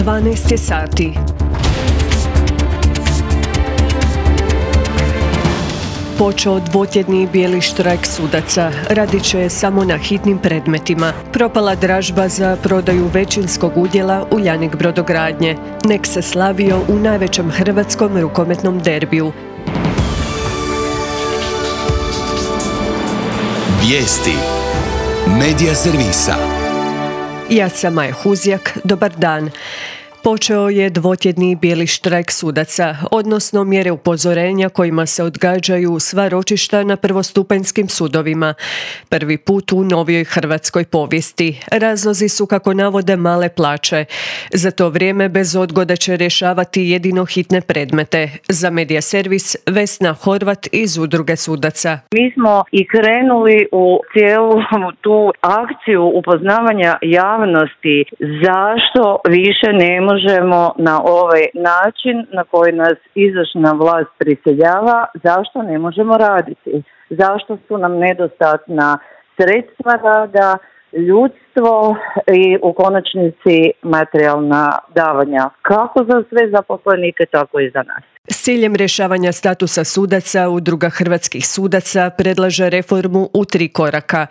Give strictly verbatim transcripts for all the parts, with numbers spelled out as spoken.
dvanaest je sati. Počeo dvotjedni bijeli štrajk sudaca. Radit će samo na hitnim predmetima. Propala dražba za prodaju većinskog udjela Uljanik brodogradnje. Nek se slavio u najvećem hrvatskom rukometnom derbiju. Vijesti Medija servisa. Ja sam Maja Huzjak, dobar dan. Počeo je dvotjedni bijeli štrajk sudaca, odnosno mjere upozorenja kojima se odgađaju sva ročišta na prvostupanjskim sudovima. Prvi put u novijoj hrvatskoj povijesti. Razlozi su, kako navode, male plaće. Za to vrijeme bez odgode će rješavati jedino hitne predmete. Za Medija servis Vesna Horvat iz Udruge sudaca. Mi smo i krenuli u cijelu tu akciju upoznavanja javnosti zašto više ne možemo na ovaj način na koji nas izvršna vlast prisiljava, zašto ne možemo raditi, zašto su nam nedostatna sredstva rada, ljudstvo i u konačnici materijalna davanja, kako za sve zaposlenike, tako i za nas. S ciljem rješavanja statusa sudaca, Udruga hrvatskih sudaca predlaže reformu u tri koraka.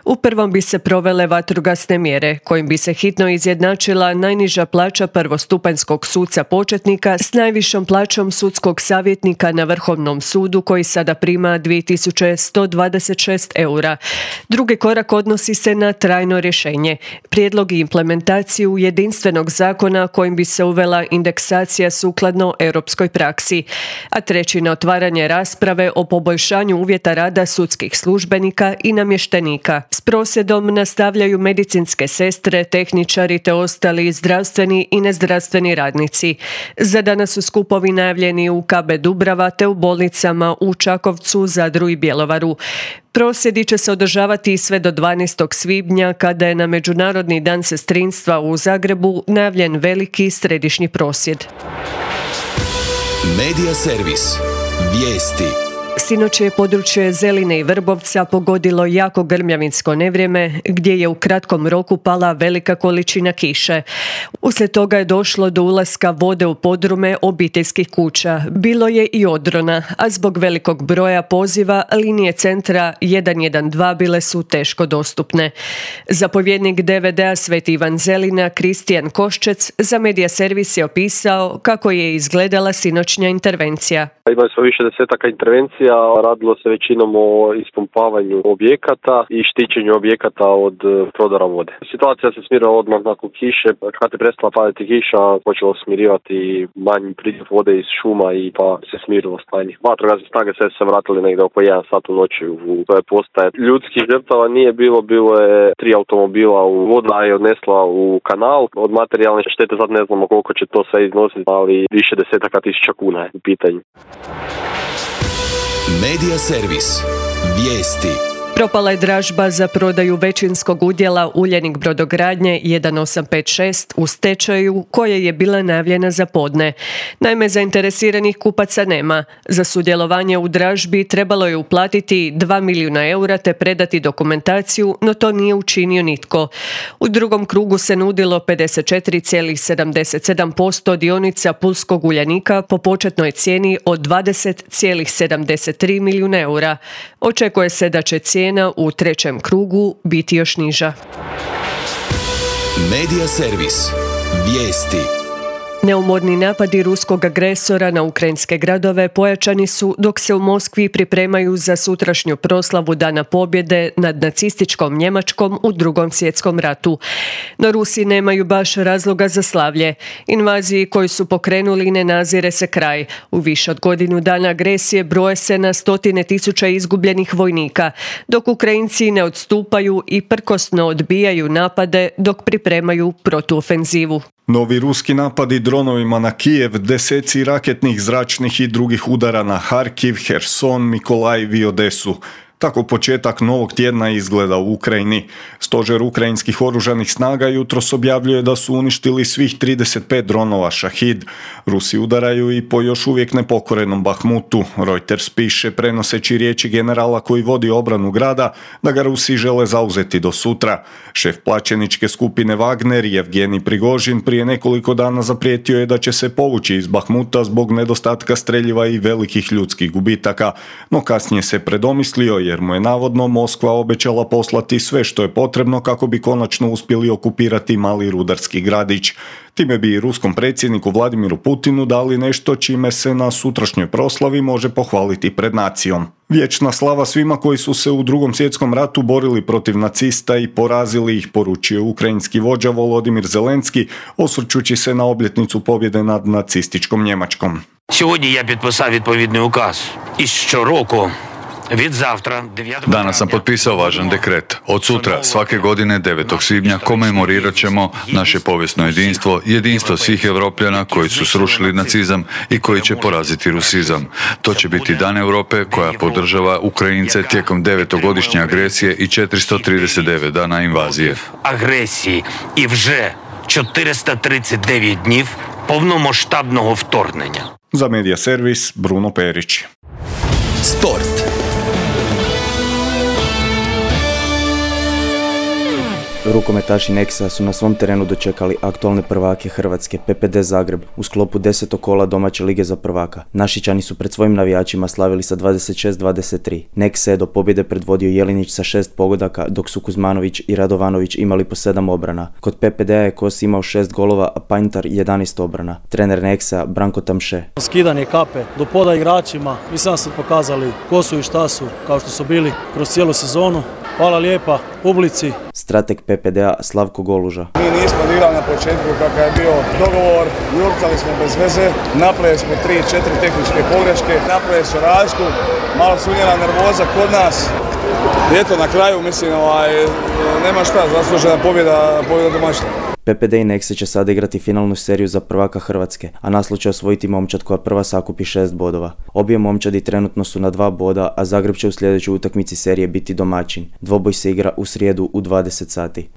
U prvom bi se provele vatrogasne mjere, kojim bi se hitno izjednačila najniža plaća prvostupanjskog suca početnika s najvišom plaćom sudskog savjetnika na Vrhovnom sudu, koji sada prima dvije tisuće sto dvadeset šest eura. Drugi korak odnosi se na trajno rješenje, prijedlog i implementaciju jedinstvenog zakona kojim bi se uvela indeksacija sukladno europskoj praksi. A treći na otvaranje rasprave o poboljšanju uvjeta rada sudskih službenika i namještenika. S prosvjedom nastavljaju medicinske sestre, tehničari te ostali zdravstveni i nezdravstveni radnici. Za danas su skupovi najavljeni u K B Dubrava te u bolnicama u Čakovcu, Zadru i Bjelovaru. Prosvjedi će se održavati sve do dvanaestog svibnja, kada je na Međunarodni dan sestrinstva u Zagrebu najavljen veliki središnji prosvjed. Medija servis. Vijesti. Sinoć je područje Zeline i Vrbovca pogodilo jako grmljavinsko nevrijeme, gdje je u kratkom roku pala velika količina kiše. Uslijed toga je došlo do ulaska vode u podrume obiteljskih kuća. Bilo je i odrona, a zbog velikog broja poziva linije centra jedan jedan dva bile su teško dostupne. Zapovjednik D V D-a Sveti Ivan Zelina, Kristijan Koščec, za Medija servis je opisao kako je izgledala sinoćnja intervencija. Imali smo više desetaka intervencija, radilo se većinom o ispumpavanju objekata i štićenju objekata od prodora vode. Situacija se smirila odmah nakon kiše, kad je prestala padati kiša, počelo smirivati manji priljev vode iz šuma i pa se smirilo stanje. Vatrogasne snage sve se vratili negdje oko jedan sat u noći u toj postaje. Ljudskih žrtava nije bilo, bilo je tri automobila, u voda je odnesla u kanal. Od materijalne štete sad ne znamo koliko će to sve iznositi, ali više desetaka tisuća kuna je u pitanju. Medija servis. Vijesti. Propala je dražba za prodaju većinskog udjela Uljanik brodogradnje jedan osam pet šest u stečaju, koja je bila najavljena za podne. Naime, zainteresiranih kupaca nema. Za sudjelovanje u dražbi trebalo je uplatiti dva milijuna eura te predati dokumentaciju, no to nije učinio nitko. U drugom krugu se nudilo pedeset četiri zarez sedamdeset sedam posto dionica Pulskog Uljanika po početnoj cijeni od dvadeset zarez sedamdeset tri milijuna eura. Očekuje se da će cijena u trećem krugu biti još niža. Medija servis. Vijesti. Neumorni napadi ruskog agresora na ukrajinske gradove pojačani su dok se u Moskvi pripremaju za sutrašnju proslavu Dana pobjede nad nacističkom Njemačkom u Drugom svjetskom ratu. No Rusi nemaju baš razloga za slavlje. Invaziji koju su pokrenuli ne nazire se kraj. U više od godinu dana agresije broje se na stotine tisuća izgubljenih vojnika, dok Ukrajinci ne odstupaju i prkosno odbijaju napade dok pripremaju protuofenzivu. Novi ruski napadi dronovima na Kijev, deseci raketnih, zračnih i drugih udara na Harkiv, Herson, Mikolajiv i Odesu. Tako početak novog tjedna izgleda u Ukrajini. Stožer ukrajinskih oružanih snaga jutros objavljuje da su uništili svih trideset pet dronova Šahid. Rusi udaraju i po još uvijek nepokorenom Bahmutu. Reuters piše, prenoseći riječi generala koji vodi obranu grada, da ga Rusi žele zauzeti do sutra. Šef plaćeničke skupine Wagner, Jevgenij Prigožin, prije nekoliko dana zaprijetio je da će se povući iz Bahmuta zbog nedostatka streljiva i velikih ljudskih gubitaka, no kasnije se predomislio jer mu je navodno Moskva obećala poslati sve što je potrebno kako bi konačno uspjeli okupirati mali rudarski gradić. Time bi i ruskom predsjedniku Vladimiru Putinu dali nešto čime se na sutrašnjoj proslavi može pohvaliti pred nacijom. Vječna slava svima koji su se u Drugom svjetskom ratu borili protiv nacista i porazili ih, poručio ukrajinski vođa Volodimir Zelenski, osvrćući se na obljetnicu pobjede nad nacističkom Njemačkom. Сьогодні я підписав відповідний указ. І щороку від завтра Danas sam potpisao važan dekret. Od sutra, svake godine devetog svibnja, komemorirat ćemo naše povijesno jedinstvo, jedinstvo svih Europljana koji su srušili nacizam i koji će poraziti rusizam. To će biti Dan Europe koja podržava Ukrajince tijekom devetogodišnje agresije i četiristo trideset devet dana invazije. Агресії і вже četiristo trideset devet днів повномасштабного вторгнення. Za Medija servis Bruno Perić. Sport. Rukometaši Nexa su na svom terenu dočekali aktualne prvake Hrvatske P P D Zagreb u sklopu desetog kola domaće lige za prvaka. Našičani su pred svojim navijačima slavili sa dvadeset šest dvadeset tri. Nexa je do pobjede predvodio Jelinić sa šest pogodaka, dok su Kuzmanović i Radovanović imali po sedam obrana. Kod P P D-a je Kos imao šest golova, a Panjtar jedanaest obrana. Trener Nexa Branko Tamše. Skidanje kape do poda igračima, mislim da su pokazali ko su i šta su, kao što su bili kroz cijelu sezonu. Hvala lijepa publici. Strateg P P D-a Slavko Goluža. Mi nismo igrali na početku kakav je bio dogovor, jurcali smo bez veze, napravili smo tri četiri tehničke pogreške, napravili su razliku, malo su unijela nervoza kod nas. I eto, na kraju, mislim, ovaj, nema šta, zaslužena pobjeda, pobjeda domaćina. P P D i Nexe će sada igrati finalnu seriju za prvaka Hrvatske, a naslov će osvojiti momčad koja prva sakupi šest bodova. Obje momčadi trenutno su na dva boda, a Zagreb će u sljedećoj utakmici serije biti domaćin. Dvoboj se igra u srijedu u dvadeset sati.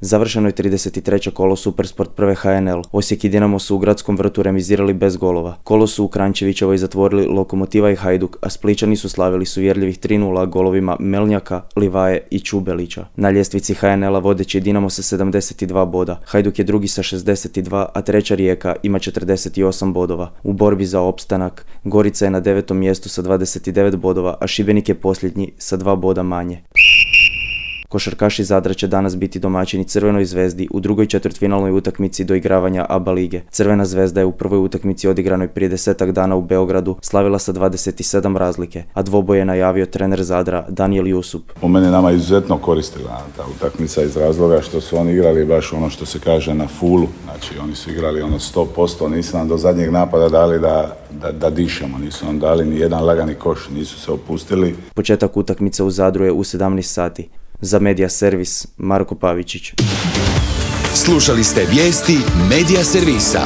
Završeno je trideset treće kolo Supersport prve H N L. Osijek i Dinamo su u Gradskom vrtu remizirali bez golova. Kolo su u Kranjčevićevoj zatvorili Lokomotiva i Hajduk, a Splićani su slavili suvjerljivih tri nula golovima Melnjaka, Livaje i Čubelića. Na ljestvici H N L-a vodeći je Dinamo sa sedamdeset dva boda. Hajduk je drugi sa šezdeset dva, a treća Rijeka ima četrdeset osam bodova. U borbi za opstanak Gorica je na devetom mjestu sa dvadeset devet bodova, a Šibenik je posljednji sa dva boda manje. Košarkaši Zadra će danas biti domaćini Crvenoj zvezdi u drugoj četvrtfinalnoj utakmici doigravanja A B A lige. Crvena zvezda je u prvoj utakmici odigranoj prije desetak dana u Beogradu slavila sa dvadeset sedam razlike, a dvoboj je najavio trener Zadra Danijel Jusup. Po meni nama izuzetno koristila ta utakmica iz razloga što su oni igrali baš ono što se kaže na fulu. Znači oni su igrali ono sto posto, nisu nam do zadnjeg napada dali da, da, da dišemo, nisu nam dali ni jedan lagani koš, nisu se opustili. Početak utakmice u Zadru je u sedamnaest sati. Za Medija servis Marko Pavičić. Slušali ste vijesti Medija servisa.